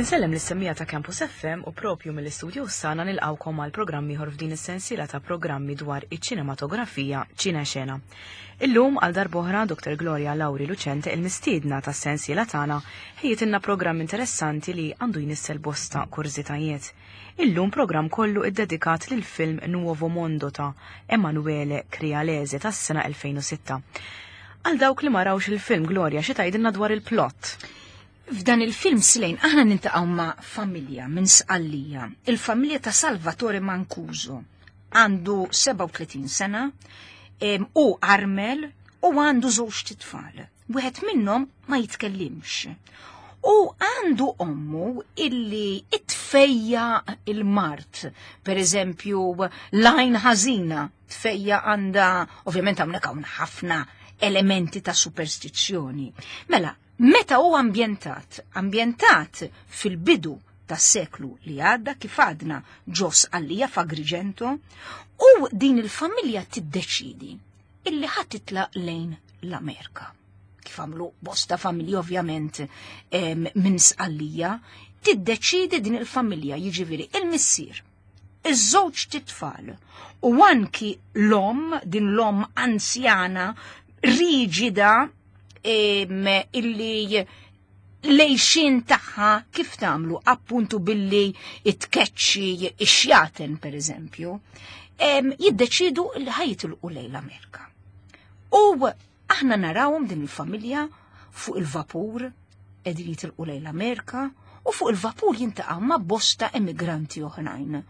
Insellem lis-semmiegħa ta' Campus FM u propju mill-istudio sana nilqawkom għal programm ieħor f'din is-sensiela ta' programmi dwar iċ-ċinematografija Ċine Xena. Illum għal darb'oħra Dr. Gloria Lauri Lucente il-mistiedna tas-sensiela tagħna ħejjitilna programm interessanti li għandu jnissel bosta kurżitajiet. Illum programm kollu iddedikat lil film Nuovo Mondo ta' Emanuele Crialese tas-sena 2006. Għal dawk li ma rawx il-film Gloria xi tgħidilna dwar il-plot? F'dan il-film Slejn aħna nintaqgħu ma' familja minn Sqallija, il-familja ta' Salvatore Mancuso. Għandu 37 sena, u armel u għandu żewġ titfal. Wieħed minnhom ma jitkellimx. U għandu ommu illi itfejja il-mart, per eżempju, lajn ħażina tfejja għanda, ovvjament hawnhekk hawn ħafna elementi ta' superstizzjoni. Mela, meta hu ambjentat? Ambjentat fil-bidu tas-seklu li għadda kif għadna ġos għallija f'Agrigento u din il-familja tiddeċidi illi ħa titlaq lejn l-Amerika. Kif għamlu bosta familji ovvjament minn Sqallija, tiddeċidi din il-familja jiġifieri il-missier, iż-żewġ titfal u anki l-om, din l-om anzjana, riġida illi lejxin tagħha kif tagħmlu appuntu billi itkeċċi ix-xjaten pereżempju, jiddeċidu li ħajitilqu lejn l-Amerika. U aħna narawhom din il-familja fuq il-vapur qegħdin jitilqu lejn l-Amerika u fuq il-vapur jintaqgħu ma' bosta emigranti oħrajn.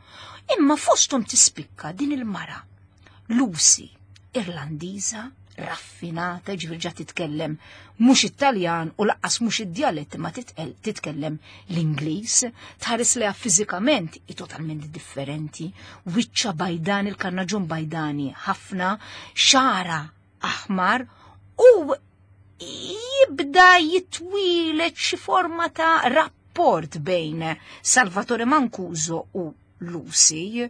Imma fosthom tispikka din il-mara, Lucy, Irlandiża, raffinata, ġifieri ġa titkellem mhux Italjan u laqqas mhux id-djalett ma titkellem l-Ingliż, tħares leha fiżikament hi totalment differenti, wiċċa bajdani, il-karnaġun bajdani ħafna, xara aħmar u jibda jitwieled xi forma ta' rapport bejn Salvatore Mancuso u Lucy.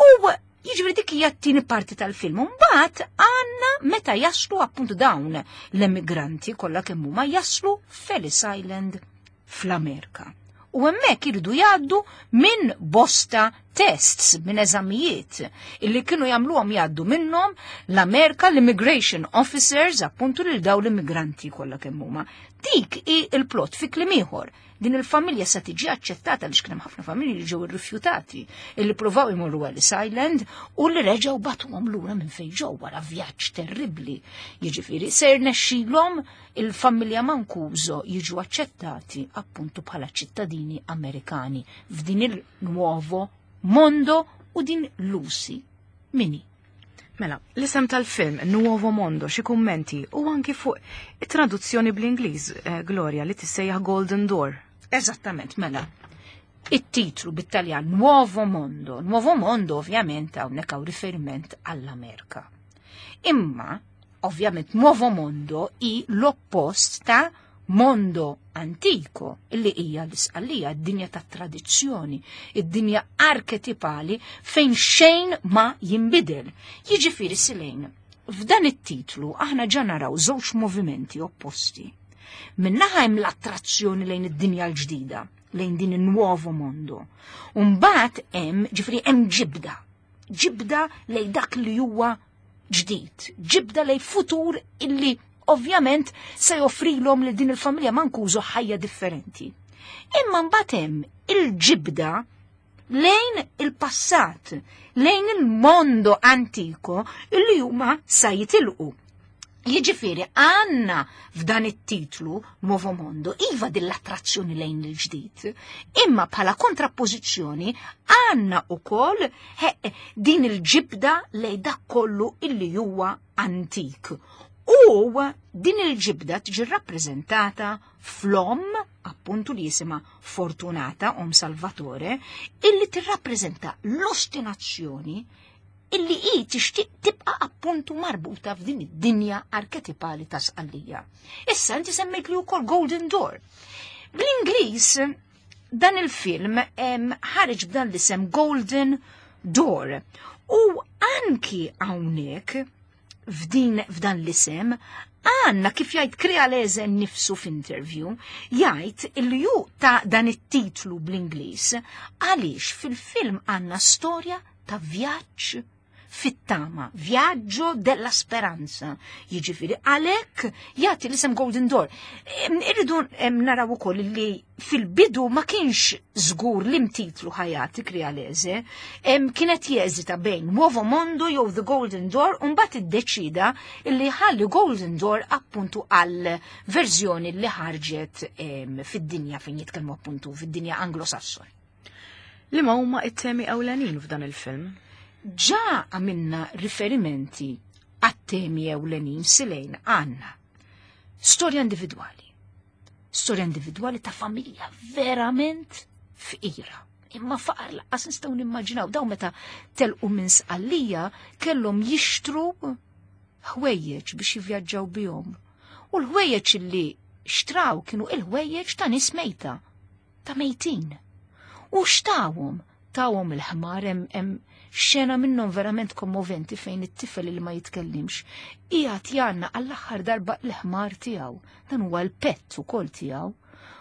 U jiġifieri dik hija t-tieni parti tal-film. Mbagħad għandna meta jaslu appuntu dawn l-emigranti kollha kemm huma jaslu f'Ellis Island fl-Amerika. U hemmhekk iridu jgħaddu minn bosta tests, minn eżamijiet illi kienu jagħmluhom jgħaddu minnhom l-Amerika l-immigration officers appuntu lil dawn l-immigranti kollha kemm huma. Dik hi l-plot fi kliem ieħor. Din il-familja sa tiġi aċċettata għaliex kien hemm ħafna familji li ġew irrifjutati, illi provaw imorru Ellis Island u li reġgħu batuhom lura minn fejn ġew wara vjaġġ terribbli. Jiġifieri se jirnexxilhom il-familja Mancuso jiġu aċċettati appuntu bħala ċittadini Amerikani f'din il-nuovo mondo u din Lucy mini. Mela, l-isem tal-film Nuovo Mondo, xi kummenti u anki fuq it-traduzzjoni bl-Ingliż, eh, Gloria, li tissejjaħ Golden Door. Eżattament, mela. It-titlu bit-Taljan Nuovo Mondo. Nuovo Mondo ovvjament hawnhekk hawn riferiment għall-Amerika. Imma, ovvjament, Nuovo Mondo hi l-oppost ta' mondo antico, illi hija l-isqallija, id-dinja ta' tradizzjoni, id-dinja arketipali fejn xejn ma jinbidel. Jiġifieri Silejn, f'dan it-titlu aħna ġa naraw żewġ movimenti opposti. Minnaħa hemm l-attrazzjoni lejn id-dinja l-ġdida, lejn din il-nuovo mondo. Mbagħad hemm, ġifieri hemm ġibda, ġibda lejn dak li huwa ġdid, ġibda lej futur illi ovvjament se joffrilhom li din il-familja Mancuso ħajja differenti. Imma mbagħad hemm il-ġibda lejn il-passat, lejn il-mondo antiko illi huma sa jitilqu. Jiġifieri għandna f'dan it-titlu Nuovo Mondo iva din l-attrazzjoni lejn il-ġdid, imma bħala kontrappożizzjoni għandna ukoll din il-ġibda lejn dak kollu illi huwa antik. U din il-ġibda tiġi rappreżentata flom, appuntu li jisima Fortunata, om Salvatore, illi tirrappreżenta l-ostinazzjoni illi hi tixtieq tibqa' appuntu marbuta f'din id-dinja arketipali ta' Sqallija. Issa inti semmejt li wkoll Golden Door. Bl-Ingliż dan il-film ħareġ b'dan l-isem Golden Door. U anki hawnhekk f'din f'dan l-isem Għanna kif jgħid Crialese nifsu f'interview, jgħid li ju ta' dan it-titlu bl-Ingliż għaliex fil-film għandna storja ta' vjaġġ fit-tama, Viaggio della Speranza. Jiġifieri għalhekk jagħti l-isem Golden Door. Irridu naraw ukoll li fil-bidu ma kienx żgur li mtitlu ħajati Crialese, kienet jeżita bejn Nuovo Mondo jew The Golden Door u mbagħad iddeċida li ħalli Golden Door appuntu għal verżjoni li ħarġet fid-dinja fejn jitkellmu appuntu fid-dinja Anglo-Sassoni. Liema huma it-temi ewlenin f'dan il-film? Ġa għamilna riferimenti għat-temi ewlenin silejn għanna. Storja individwali. Storja individwali ta' familja verament fqira. Imma faqar laqqas nistgħu nimmaġinaw daw meta telqu minn Sqallija kellhom jixtru ħwejjeġ biex jivvjaġġaw bihom. U l-ħwejjeġ li xtraw kienu il-ħwejjeġ ta' nies mejta, ta' mejtin. U xtawhom, tawhom il-ħmar hemm xena minnhom verament kommoventi fejn it-tifel li ma jitkellimx qiegħed janna għall-aħħar darba l-ħmar tiegħu. Dan huwa l-pet ukoll tiegħu,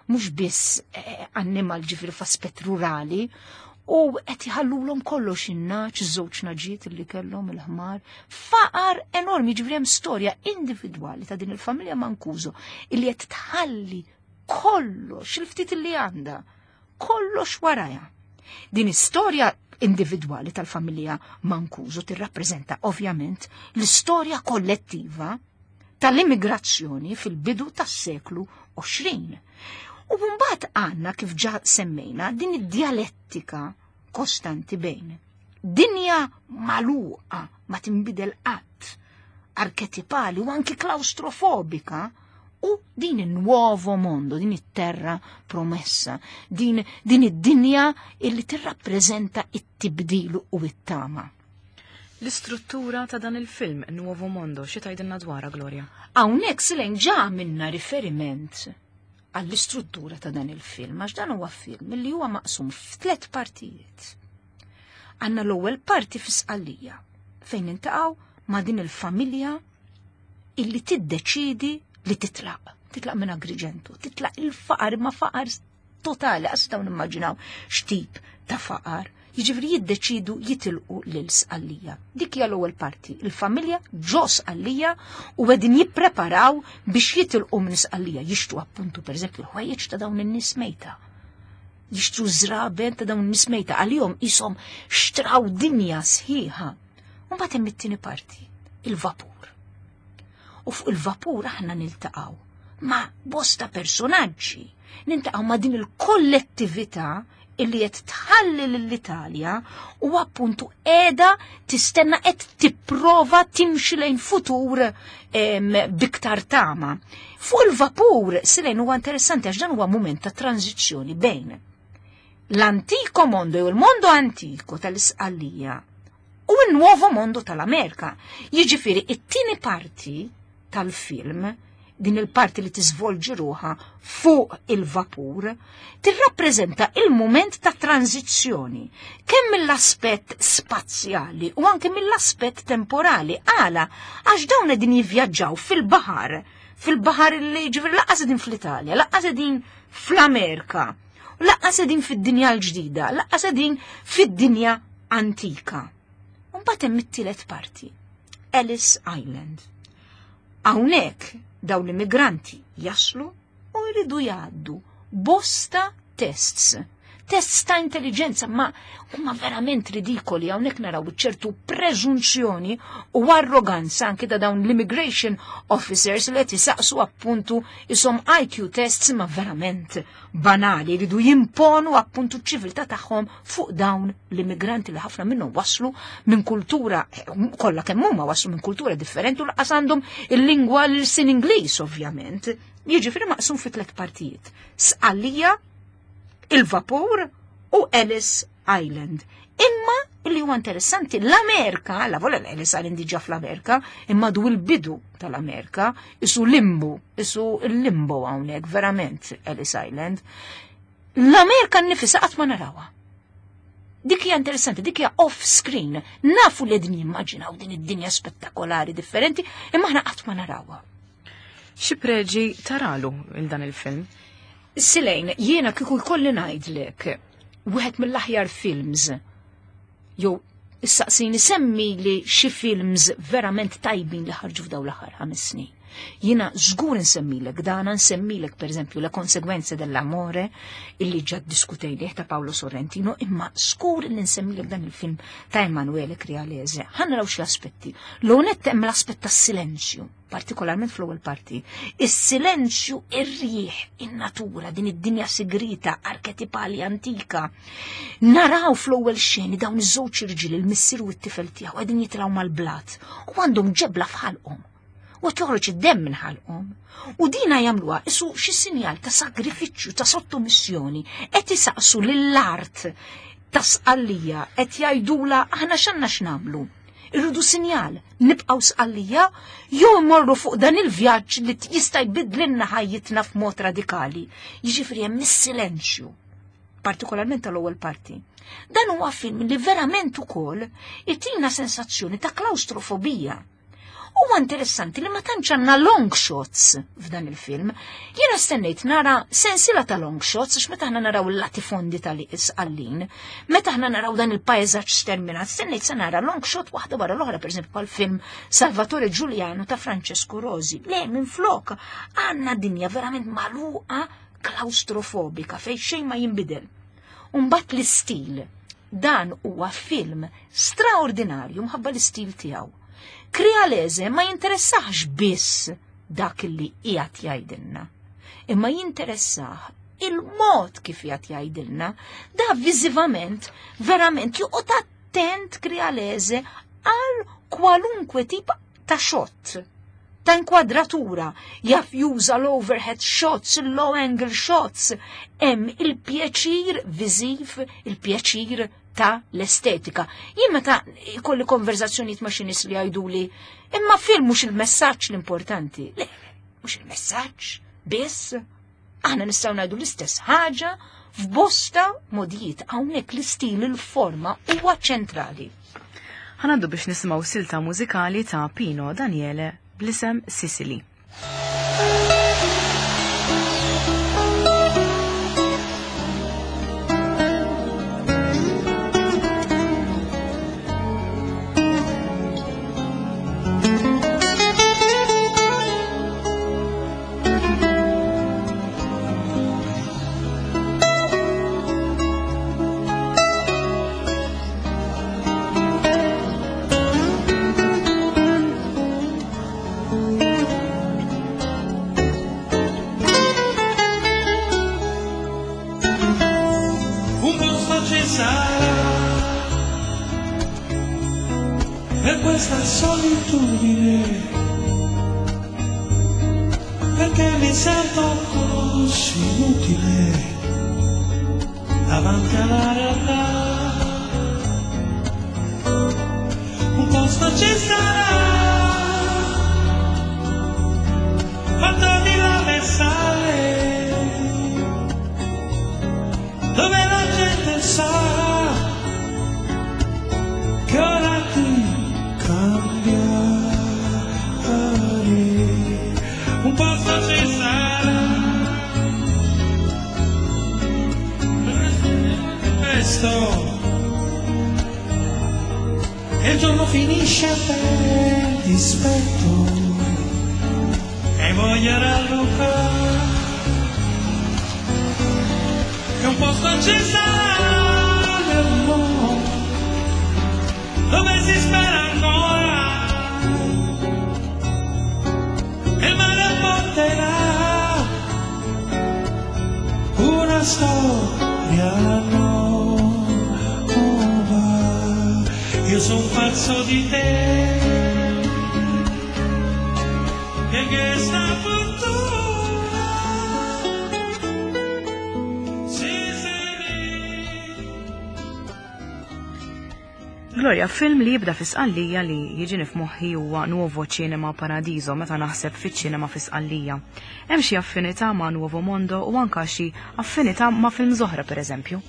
mhux biss annimal ġifieri f'aspett rurali, u qed jħallulhom kollox in-naċ, żewġ naġiet li kellhom il-ħmar, faqar enormi, ġifieri hemm storja individwali ta' din il-familja Mancuso illi qed tħalli kollox il-ftit li għandha, kollox warajha. Din istorja individwali tal-familja Mancuso tirrappreżenta ovvjament l-istorja kollettiva tal-immigrazzjoni fil-bidu tas-seklu 20. U mbagħad għandna kif ġa semmejna din id-dialettika kostanti bejn dinja magħluqa ma tinbidel qatt, arketipali u anki klaustrofobika, u din il-nuovo mondo, din it-terra promessa, din id-dinja illi tirrappreżenta it-tibdil u it-tama. L-istruttura ta' dan il-film Nuovo Mondo, xi tgħidilna dwarha, Gloria? Hawnhekk silejn ġa minna riferiment għall-istruttura ta' dan il-film, għax dan huwa film li huwa maqsum f'tliet partijiet. Għandna l-ewwel parti fi Sqallija, fejn nintaqgħu ma' din il-familja illi tiddeċidi li titlaq, titlaq minn Agrigento, titlaq il-faqar, ma faqar totali, għas dawn nimmaġinaw x'tip ta' faqar. Jiġifieri jiddeċidu jitilqu lil Sqallija. Dik hija l-ewwel parti, il-familja ġo Sqallija u qegħdin jippreparaw biex jitilqu minn Sqallija, jixtru appuntu pereżempju l-ħwejjeġ ta' dawn in-nies mejta. Jixtru żraben ta' dawn in-nies mejta, għalihom ishom xtraw dinja sħiħa. U mbagħad hemm it-tieni parti, il-vapur. U fuq il-vapur aħna niltaqgħu ma' bosta personaġġi, niltaqgħu ma' din il-kollettività illi qed tħalli lill-Italja u appuntu qiegħda tistenna qed tipprova timxi lejn futur biktar tama. Fuq il-vapur silejn huwa interessanti għax dan huwa mument ta' tranzizzjoni bejn l-antico mondo jew il-mondo antico tal-Isqallija u l-nuovo mondo tal-Amerika. Jiġifieri it-tieni parti tal-film, din il-parti li tiżvolġi ruħa fuq il-vapur, tirrappreżenta il-mument ta' tranzizzjoni, kemm mill-aspett spazjali u anke mill-aspett temporali. Għala, għax dawn qegħdin jivvjaġġaw fil-baħar, fil-baħar li ġifieri laqqas qegħdin fl-Italja, laqqas qegħdin fl-Amerika, laqqas qegħdin fid-dinja l-ġdida, laqqas qegħdin fid-dinja antika. U mbagħad hemm it-tielet parti, Ellis Island. Hawnhekk dawn l-immigranti jaslu u jridu jgħaddu bosta tests. Tests ta' intelligenza, ma huma verament ridikoli. Hawnhekk naraw ċertu preżunzjoni u arroganza anke ta' dawn l-immigration officers li qed isaqsu appuntu isom IQ tests ma verament banali, jridu jimponu appuntu ċ-ċiviltà tagħhom fuq dawn l-immigranti li ħafna minnhom waslu minn kultura, kollha kemm huma waslu minn kultura differenti u laqas għandhom il-lingwa l-sin Ingliż ovvjament. Jiġifieri maqsum fi tliet partijiet: Sqallija, il-vapur u Ellis Island. Imma li huwa interessanti, l-Amerika, la vola l-Ellis Island diġà fl-Amerika, imma du l-bidu tal-Amerika, isu limbu, isu l-limbo hawnhekk verament Ellis Island. L-Amerika nnifisha qatt ma narawha. Dik hija interessanti, dik hija off screen. Nafu li qegħdin jimmaġinaw din id-dinja spettakolari differenti, imma aħna qatt ma narawha. Xi preġi taralu il dan il-film? Silejn, jiena kieku jkolli ngħidlek wieħed mill-aħjar films jew issaqsini semmi li xi films verament tajbin li ħarġu f'dawn l-aħħar 5 snin. Jiena żgur insemmilek dana, nsemmilek pereżempju La Conseguenze dell'Amore illi ġa ddiskutejnieh ta' Paolo Sorrentino, imma żgur li nsemmilek dan il-film ta' Emanuele Crialese. Ħa naraw xi aspetti. L-ewwel hemm l-aspett tas-silenzju, partikolarment fl-ewwel parti. Is-silenzju, ir-riħ, in-natura, din id-dinja sigrita, arketipali antika. Naraw fl-ewwel xeni dawn iż-żewġ irġiel, il-missier u t-tifel tiegħu, qegħdin jitilgħu mal-blat u għandhom ġebla f'ħalqhom. U qed joħroġ id-demm minn ħalqhom. U dina jagħmluha isu xi sinjal ta' sagrifiċċju, ta' sottomissjoni, qed isaqsu lill-art ta' Sqallija, qed jgħidula aħna x'għandna x'nagħmlu. Irridu sinjal, nibqgħu Sqallija jew immorru fuq dan il-vjaġġ li jista' jbidlilna ħajjitna f'mod radikali. Jiġifieri hemm is-silenzju, partikolarment tal-ewwel parti. Dan huwa film li verament ukoll itina sensazzjoni ta' klaustrofobija. Huwa interessanti li ma tantx għandna long shots f'dan il-film. Jiena stennejt nara sensiela ta' long shots għax meta aħna naraw il-latifondi tal-Isqallin, meta aħna naraw dan il-pajżaġġ sterminat, stennejt se nara long shot waħda wara l-oħra, pereżempju bħal film Salvatore Giuliano ta' Francesco Rosi. Le, minflok għandna dinja verament magħluqa klaustrofobika fejn xejn ma jinbidel. U mbagħad l-istil. Dan huwa film straordinarju mħabba l-istil tiegħu. Crialese ma jinteressax biss dak li qiegħed jgħidilna, imma jinteressah il-mod kif qiegħed jgħidilna. Da viżivament verament joqgħod attent Crialese għal kwalunkwe tip ta' shot, ta' inkwadratura, jaf juża l-overhead shots, il-low angle shots, hemm il-pjaċir viżiv, il-pjaċir ta' l-estetika. Jien meta jkolli konverzazzjonijiet ma' xi nies li jgħiduli, imma film mhux il-messaġġ l-importanti. Le, mhux il-messaġġ, biss. Aħna nistgħu ngħidu l-istess ħaġa f'bosta modijiet. Hawnhekk l-istil, il-forma huwa ċentrali. Ħanaddu biex nisimgħu silta mużikali ta' Pino Daniele bl-isem Sicily. Un posto ci sarà per questa solitudine, perché mi sento così inutile davanti alla realtà. Un posto ci sarà, fatto di lava e sale, dove la gente sa che ora ti cambiare. Un posto ci sarà presto e il giorno finisce per dispetto e voglia rallocare che un posto ci sarà nel mondo dove si spera ancora e il mare porterà una storia nuova. Io son pazzo di te e che sta fortuna si Gloria, film li jibda fi Sqallija li jiġini f'moħħi huwa Nuovo Cinema Paradiso meta naħseb fiċ-ċinema fi Sqallija. Hemm xi affinità ma' Nuovo Mondo u anka xi affinità ma' film oħra pereżempju.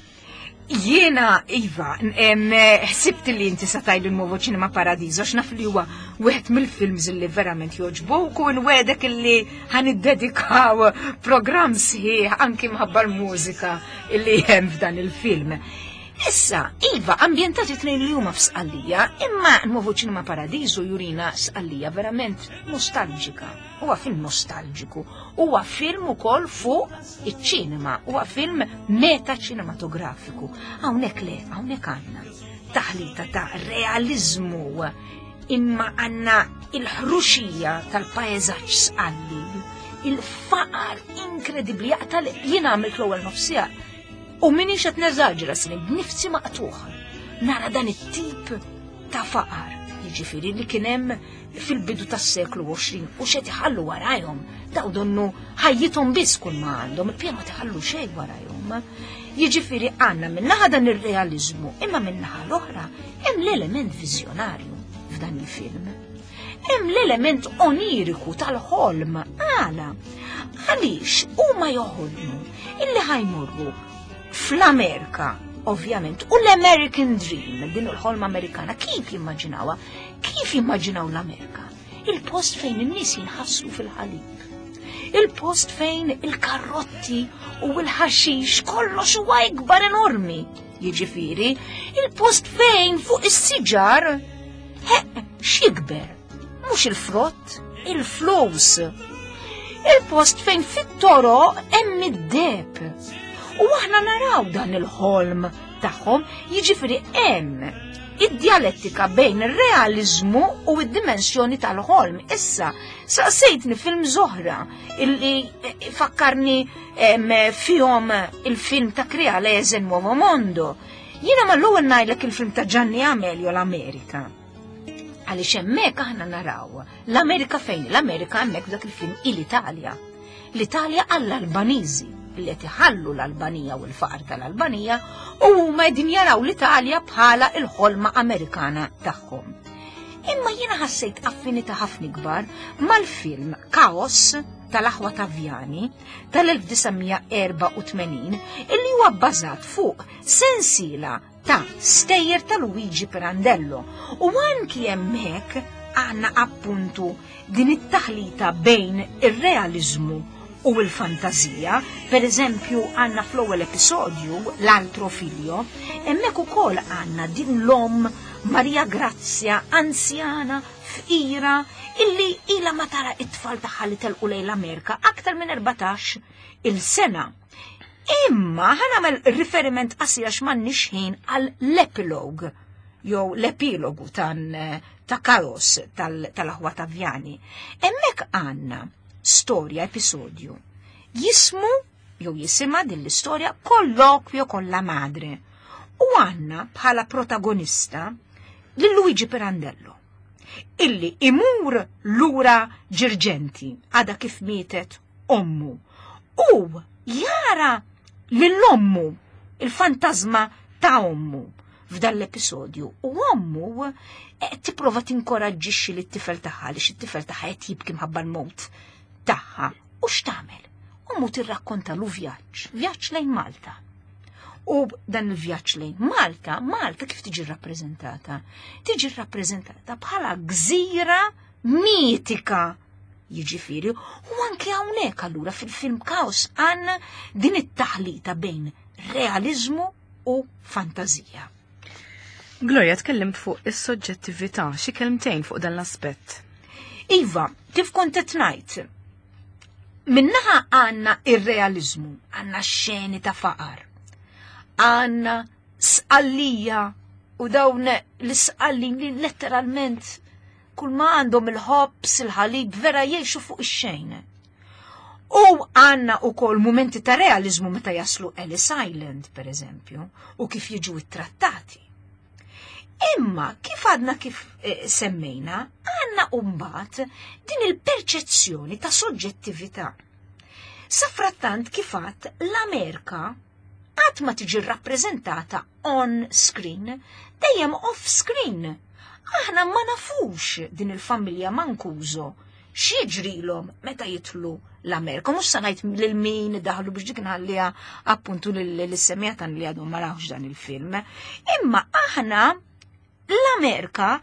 Jiena, Iva, ħsibt li inti sa tgħid il-Nuovo Cinema Paradiso, x'naf li huwa wieħed mill-films li verament jogħġbuk u nwegħdek illi ħa niddedikaw programm sħiħ anki mħabba l-mużika illi hemm f'dan il-film. Issa, Iva, ambjentati tnejn li huma f'Sqallija, imma Nuovo Cinema Paradiso jurina Sqallija verament nostalġika. Huwa film nostalġiku, huwa film ukoll fuq iċ-ċinema, huwa film meta ċinematografiku. Hawnhekk le, hawnhekk għandna taħlita ta' realizmu imma għandna il-ħruxija tal-paeżaġġ sqalli, il-faqar inkredibbli jaqtal jien għamilt l-ewwel nofsija u minix qed neżaġra snin b'nifsi maqtuħ. Nara dan it-tip ta' faqar, jiġifieri li kien hemm fil-bidu tas-seklu 20 u xed iħallu warajhom daw donnu ħajjithom biss kull ma għandhom, il-pija ma tħallu xejn warajhom. Jiġifieri għandna minnaħa dan ir-realiżmu, imma minnaħa l-oħra hemm l-element viżjonarju f'dan il-film. Hemm l-element oniriku tal-ħolm għala. Għaliex huma joħolmu illi ħajmorru fl-Amerika, ovvjament, u l-American Dream, din il-ħolma Amerikana, kif jimmaġinawha? Kif jimmaġinaw l-Amerika? Il-post fejn in-nies jinħaslu fil-ħalib. Il-post fejn il-karrotti u l-ħaxix kollox huwa ikbar enormi. Jiġifieri, il-post fejn fuq is-siġar x'jikber? Mhux il-frott, il-flus. Il-post fejn fit-toroq hemm id-deb. U aħna naraw dan il-ħolm tagħhom, jiġifieri hemm id-djalettika bejn ir-realiżmu u id-dimensjoni tal-ħolm. Issa, saqsejtni film oħra illi eh, fakkarni fihom il-film ta' Crialese Nuovo Mondo. Jiena mal-ewwel ngħidlek il-film ta' Gianni Amelio l-Amerika. Għaliex hemmhekk aħna naraw l-Amerika fejn? L-Amerika hemmhekk dak il-film il-Italja. L-Italja għall-Albaniżi li qed iħallu l-Albanija u l-faqar tal-Albanija u huma qegħdin jaraw l-Italja bħala l-ħolma Amerikana tagħhom. Imma jiena ħassejt affinità ħafna ikbar mal-film Kaos tal-aħwa Taviani tal-1984 illi huwa bbażat fuq sensiela ta' stejjer ta' Luigi Pirandello u anki hemmhekk għandna appuntu din it-taħlita bejn ir-realiżmu u l-fantażija. Per eżempju, għandna fl-ewwel episodju, l-altro figlio, hemmhekk ukoll għandna din l-omm Maria Grazia anzjana fqira illi ila ma tara it-tfal tagħha li telqu lejn l-Amerika aktar minn 14 il-sena. Imma ħa nagħmel riferiment qasir għax m'għandniex ħin għal l-epilog jew l-epilogu tan ta' Kaos tal-aħwa Tavjani. Hemmhekk għandna storja, episodju, jismu jew jisimha din l-istorja Colloquio con la madre. U għandna bħala protagonista lil Luigi Pirandello illi imur lura Ġirġenti għada kif mietet ommu u jara lil ommu il-fantasma ta' ommu f'dan l-episodju u ommu eh, tipprova tinkoraġġixxi lit-tifel tagħha għaliex it-tifel tagħha qed jibki mħabba l-mewt tagħha. U x'tagħmel? Ommu tirrakkontalu vjaġġ, vjaġġ lejn Malta. U dan il-vjaġġ lejn Malta, Malta kif tiġi rrappreżentata? Tiġi rrappreżentata bħala gżira mitika Jiġifieri, u anke hawnhekk allura fil-film Kaos għandna din it-taħlita bejn realiżmu u fantażija. Gloria, tkellimt fuq is-soġġettività, xi kelmtejn fuq dan l-aspett. Iva, kif kont qed ngħid, minnaħa għandna ir-realiżmu, għandna xeni ta' faqar, għandna sqallija u dawn l-isqallin li letteralment kull ma għandhom il-ħobs, il-ħalib, vera jgħixu fuq ix-xejn. U għanna u kol momenti ta' realizmu meta jaslu Ellis Island, per eżempju, u kif jiġu ittrattati. Imma kif għadna kif eh, semmejna, għanna umbat din il-perċezzjoni ta' soġġettività. Safrattant kif għad l-Amerika qatt ma tiġi rrappreżentata on screen, dejjem off screen. Aħna ma nafux din il-familja Mancuso x'jiġrilhom meta jidħlu l-Amerika. Mhux se ngħid lil min daħlu biex dik nħalliha appuntu lis-semija tan li għadhom ma rawx dan il-film. Imma aħna l-Amerika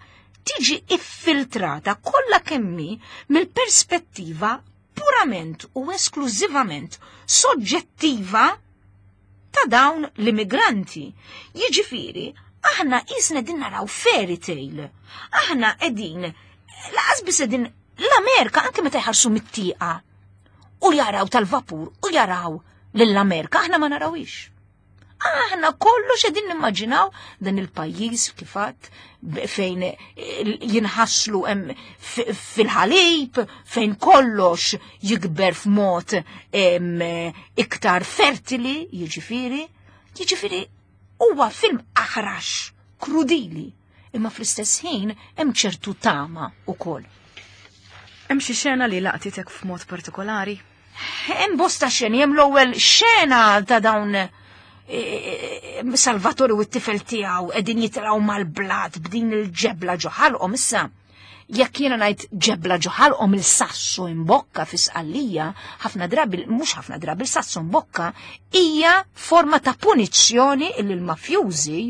tiġi iffiltrata kollha kemmi mill-perspettiva purament u esklużivament soġġettiva ta' dawn l-immigranti. Jiġifieri, aħna qisna qegħdin naraw fairy tale. Aħna qegħdin laqas biss qegħdin l-Amerika anke meta jħarsu mit-tieqa u jaraw tal-vapur u jaraw lill-Amerika, aħna ma narawix. Aħna kollox qegħdin nimmaġinaw dan il-pajjiż kifat fejn jinħaslu hemm fil-ħalib, fejn kollox jikber f'mod iktar fertili, jiġifieri, jiġifieri huwa film aħrax, krudili, imma fl-istess ħin hemm ċertu tama ukoll. Hemm xi xena li laqtitek f'mod partikolari? Hemm bosta xeni, hemm l-ewwel xena ta' dawn Salvatore u t-tifel tiegħu qegħdin jitilgħu mal-blat b'din il-ġebla ġo ħalqhom issa. Jekk jiena ngħid ġebla ġo ħalqhom il-sassu imbokka fi Sqallija, ħafna drabi, mhux ħafna drabi, il-sassu imbokka hija forma ta' punizzjoni illi l-mafjużi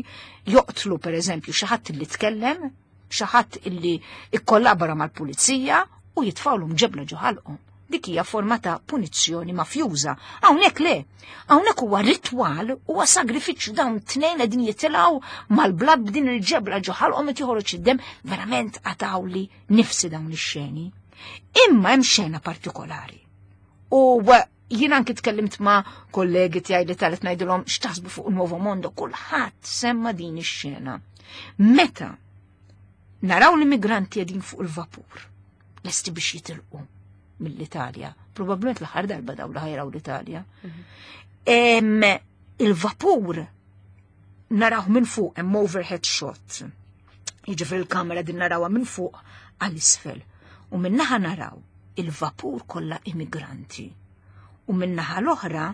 joqtlu pereżempju xi ħadd illi tkellem, xi ħadd illi ikkollabora mal-pulizija u jitfgħulhom ġebla ġo ħalqhom. Dik hija forma ta' punizzjoni mafjuża. Hawnhekk le. Hawnhekk huwa ritwal, huwa sagrifiċċju dawn tnejn qegħdin jitilgħu mal-blat b'din il-ġebla ġo ħalqhom qed joħroġ id-demm, verament qatgħuli nifsi dawn ix-xeni. Imma hemm xena partikolari. U jien anki tkellimt ma' kollegi tiegħi li talet ngħidilhom x'taħsbu fuq il-Nuovo Mondo, kulħadd semma din ix-xena. Meta naraw l-immigranti qegħdin fuq il-vapur, lesti biex jitilqu mill-Italja, probabbilment l-aħħar darba daw li ħajraw l-Italja. Il-vapur naraw minn fuq, hemm overhead shot. Jiġifieri il-kamera din narawha minn fuq għal isfel. U min-naħa naraw il-vapur kollha immigranti. U min-naħa l-oħra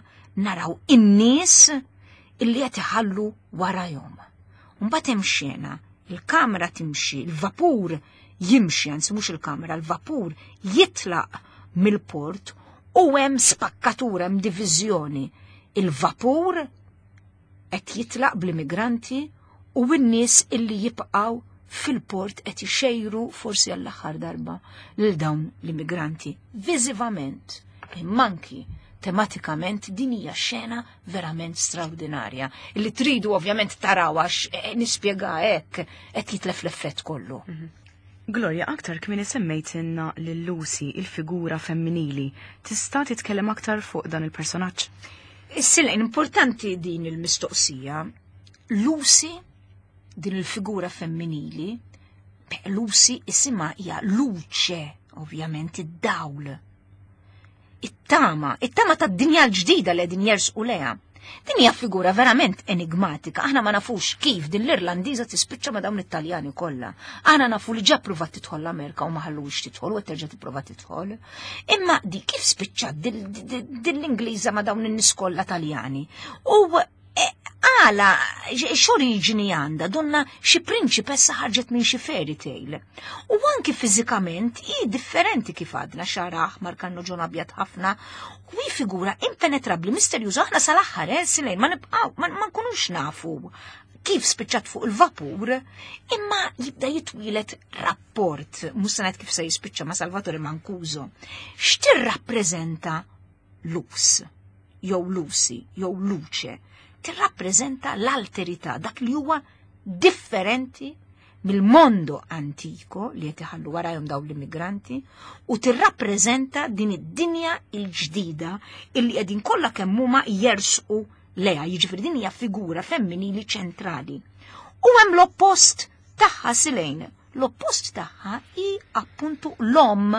naraw in-nies illi qed iħallu warajhom. Mbagħad hemm xena, il-kamera timxi, il-vapur jimxi, anzi mhux il-kamera, il-vapur jitlaq mill-port u hemm spakkatura, hemm diviżjoni. Il-vapur qed jitlaq bl-immigranti u n-nies illi jibqgħu fil-port qed ixejru forsi għall-aħħar darba lil dawn l-immigranti. Viżivament, imma anki tematikament din hija xena verament straordinarja. Illi tridu ovvjament taraw għax nispjega hekk qed jitlef l-effett kollu. Gloria, aktar kmieni semmejtilna lil Lucy, il-figura femminili. Tista' titkellem aktar fuq dan il-personaġġ? Is-silgħin importanti din il-mistoqsija. Lucy, din il-figura femminili, Lucy isimha hija luce, ovvjament id-dawl. It-tama, it-tama tad-dinja l-ġdida li qegħdin jersqu leha. Din hija figura verament enigmatika, aħna ma nafux kif din l-Irlandiża tispiċċa ma' dawn it-Taljani kollha. Aħna nafu li ġa pruvat tidħol l-Amerika u ma ħalluhiex tidħol u qed terġa' tipprova tidħol. Imma di kif spiċċat din l-Ingliża ma' dawn in-nies kollha Taljani? U għala, x'oriġini għandha, donna xi prinċipessa ħarġet minn xi fairy tale. U anki fiżikament hi differenti kif għadna, xagħar aħmar, kannuġun abjad ħafna, u hi figura impenetrabbli, misterjuża, aħna sal-aħħar, silejn, ma nibqgħu, ma nkunux nafu kif spiċċat fuq il-vapur, imma jibda jitwieled rapport, mhux se ngħid kif se jispiċċa ma' Salvatore Mancuso. X'tirrappreżenta Lus, jew Lucy, jew Luce? Tirrappreżenta l-alterità, dak li huwa differenti mill-mondo antiko li qed iħallu warajhom dawn l-immigranti, u tirrappreżenta din id-dinja l-ġdida illi qegħdin kollha kemm huma jersqu leha, jiġifieri din hija figura femminili ċentrali. U hemm l-oppost tagħha silejn, l-oppost tagħha hi appuntu l-om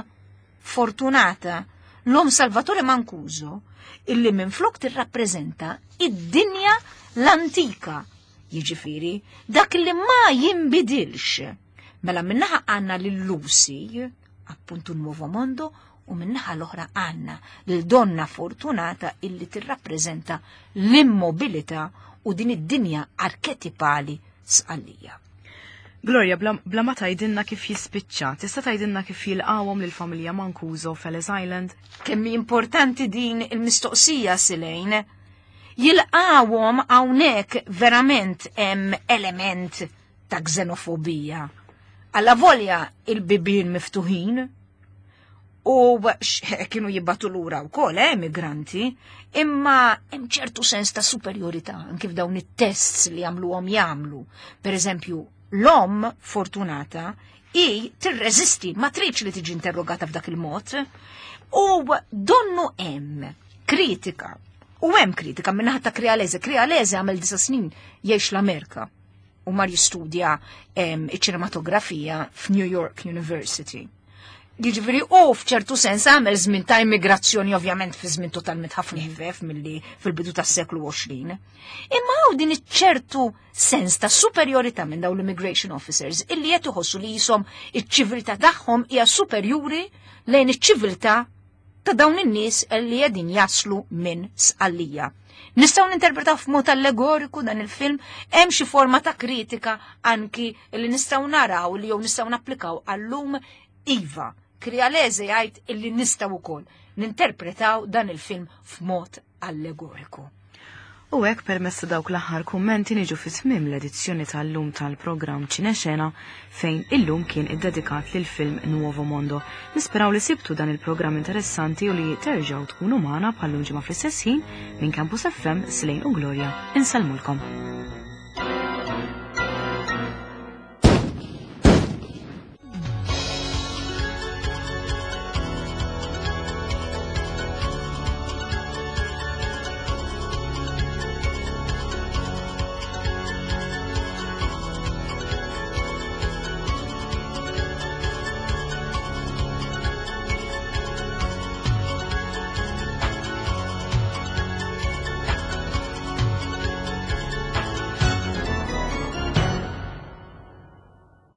Fortunata, l-om Salvatore Mancuso, illi minflok tirrappreżenta id-dinja l-antika, jiġifieri dak li ma jinbidilx. Mela minnaħa għandna lil Lucy, appuntu Nuovo Mondo, u minnaħa l-oħra għandna lil Donna Fortunata illi tirrappreżenta l-immobilità u din id-dinja arketipali Sqallija. Gloria, bla, bla ma tgħidilna kif jispiċċa, tista' tgħidilna kif jilqawhom lill-familja Mancuso f'Ellis Island? Kemm importanti din il-mistoqsija Silejn. Jilqawhom hawnhekk verament hemm element ta' xenofobija. Alla volja il-bibien miftuħin u kienu jibbatu lura wkoll eh, migranti, imma hemm ċertu sens ta' superjorità anke f'dawn it-tests li jagħmluhom jagħmlu. Per eżempju, l-omm Fortunata i tirreżisti, ma tridx li tiġi interrogata f'dak il-mod. U donnu hemm kritika. U hemm kritika minnaħa ta' Crialese. Crialese għamel 9 snin jgħix l-Amerika u mar jistudja iċ-ċinematografija f'New York University. Jiġifieri u f'ċertu sens għamel żmien ta' immigrazzjoni, ovvjament fi żmien totalment ħafna ħfef milli fil-bidu tas-seklu 20. Imma hawn din iċ-ċertu sens ta' superjorità minn dawn l-immigration officers illi qed iħossu li jisom iċ-ċiviltà tagħhom hija superjuri lejn iċ-ċiviltà ta' dawn in-nies li qegħdin jaslu minn Sqallija. Nistgħu ninterpretaw f'mod allegoriku dan il-film, hemm xi forma ta' kritika anki li nistgħu naraw li jew nistgħu napplikaw għallum. Iva, Crialese jgħid illi nistgħu wkoll ninterpretaw dan il-film f'mod allegoriku. U hekk, permezz ta' dawk l-aħħar kummenti, niġu fi tmiem l-edizzjoni tal-lum tal-programm Ċinexena, fejn illum kien iddedikat lil film Nuovo Mondo. Nisperaw li sibtu dan il-programm interessanti u li terġgħu tkunu magħna bħal-lum ġimgħa fl-istess ħin. Minn Campus FM, Slejn u Gloria, insellmulkom.